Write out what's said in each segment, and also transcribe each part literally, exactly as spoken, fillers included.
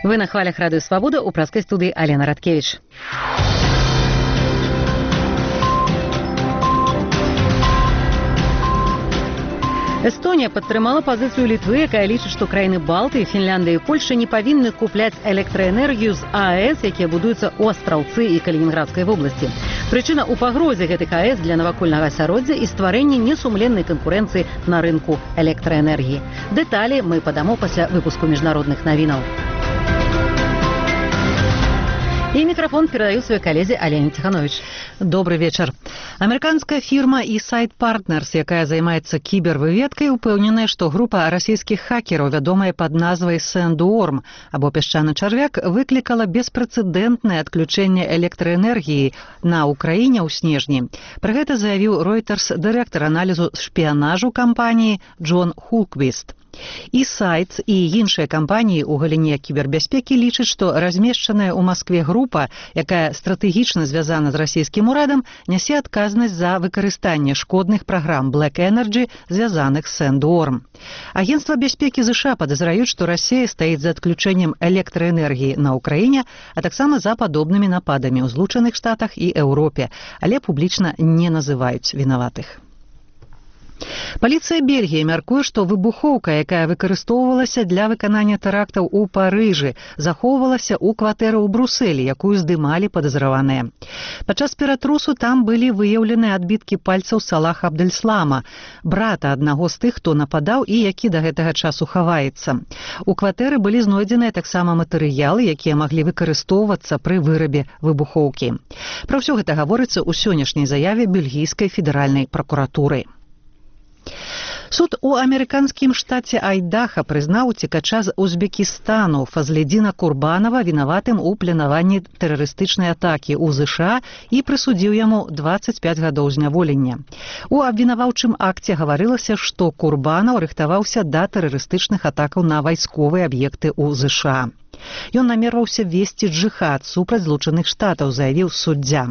Вы на хвалях Радио Свобода, у праской студии Алена Радкевич. Эстонія падтрымала пазіцыю Літвы, якая лічыць, што краіны Балтыі, Фінляндыя і Польша не павінны купляць электраэнергію з АЭС, якія будуюцца ў Астраўцы і Калінінградскай вобласці. Прычына ў пагрозе гэтых АЭС для навакольнага асяроддзя і стварэння несумленнай канкурэнцыі на рынку электраэнергіі. Дэталі мы падамо пасля выпуску міжнародных навінаў. И микрофон передаю своей коллеге Алене Тиханович. Добрый вечер. Американская фирма eSite Partners, якая займаецца кібервыведкай, упэўненая, што група расійскіх хакераў, вядомая пад назвай Sandworm, або пясчаны чарвяк, выклікала беспрэцэдэнтнае адключэнне электраэнергіі на Украіне ў снежні. Пра гэта заявіў Reuters дырэктар аналізу шпіянажу кампаніі Джон Хулквіст. eSite і іншыя кампаніі ў галіне кібербяспекі лічаць, што размешчаная ў Маскве група, якая стратэгічна звязана з расійскім урадам, нясе адказнасць за выкарыстанне шкодных праграм Black Energy, звязаных з Sandworm. Агенцтва бяспекі ЗША падазраюць, што Расія стаіць за адключэннем электраэнергіі на Ўкраіне, а таксама за падобнымі нападамі ў Злучаных Штатах і Еўропе, але публічна не называюць вінаватых. Паліцыя Бельгіі мяркуе, што выбухоўка, якая выкарыстоўвалася для выканання тэрактаў у Парыжы, захоўвалася ў кватэры ў Брусэлі, якую здымалі падазраваныя. Падчас ператрусу там былі выяўлены адбіткі пальцаў Салаха Абдельслама, брата аднаго з тых, хто нападаў і які да гэтага часу хаваецца. У кватэры былі знойдзеныя таксама матэрыялы, якія маглі выкарыстоўвацца пры вырабе выбухоўкі. Пра ўсё гэта гаворыцца ў сённяшняй заяве бельгійскай федэральнай пракуратуры. Суд у амерыканскім штаце Айдаха прызнаў уцекача з Узбекістану Фазледзіна Курбанова вінаватым у планаванні тэрарыстычнай атакі ў ЗША і прысудзіў яму дваццаць пяць гадоў зняволення. У абвінаваўчым акце гаварылася, што Курбанаў рыхтаваўся да тэрарыстычных атакаў на вайсковыя аб'екты ў ЗША. Ён намерваўся весці джыхад супраць Злучаных Штатаў, заявіў суддзя.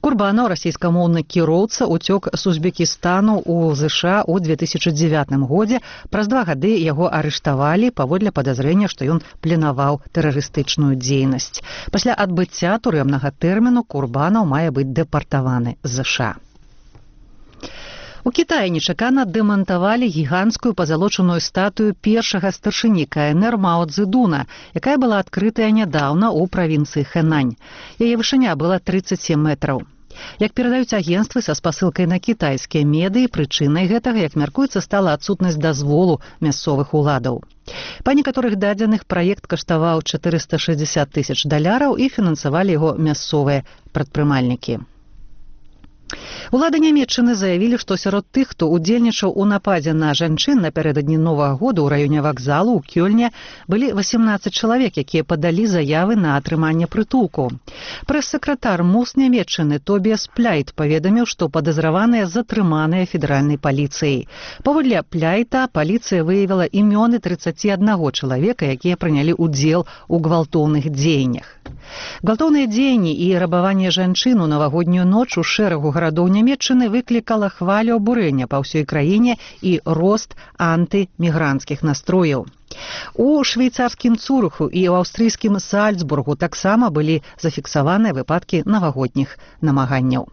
Курбанаў, расійскамоўны кіроўца, уцёк з Узбекістану ў ЗША ў две тысячы дзевятым годзе. Праз два гады яго арыштавалі паводле падазрэння, што ён планаваў тэрарыстычную дзейнасць. Пасля адбыцця турэмнага тэрміну Курбанаў мае быць дэпартаваны з ЗША. У Кітаі нечакана дэмантавалі гіганцкую пазалочаную статую першага старшыні КНР Мао Цзэдуна, якая была адкрытая нядаўна ў правінцыі Хэнань. Яе вышыня была трыццаць сем метраў. Як перадаюць агенцтвы са спасылкай на кітайскія медыі, прычынай гэтага, як мяркуецца, стала адсутнасць дазволу мясцовых уладаў. Па некаторых дадзеных праект каштаваў чатырыста шэсцьдзесят тысяч даляраў і фінансавалі яго мясцовыя прадпрымальнікі. Улады Нямецчыны заявілі, што сярод тых, хто удзельнічаў у нападзе на жанчын напярэдадні Новага года ў раёне вакзалу ў Кёльне, былі васемнаццаць чалавек, якія падалі заявы на атрыманне прытулку. Прэс-сакратар МОЗ Нямецчыны Тобіас Пляйт паведаміў, што падазраваныя затрыманыя федэральнай паліцыяй. Паводле Пляйта, паліцыя выявіла імёны трыццаці аднаго чалавека, якія прынялі ўдзел у гвалтоўных дзеяннях. Гвалтоўныя дзеянні і рабаванне жанчын у навагоднюю ноч у шэрагу гарадоў Нямецчыны выклікала хвалю абурэння па ўсёй краіне і рост антымігранцкіх настрояў. У швейцарскім Цурыху і ў аўстрыйскім Сальцбургу таксама былі зафіксаваныя выпадкі навагодніх намаганняў.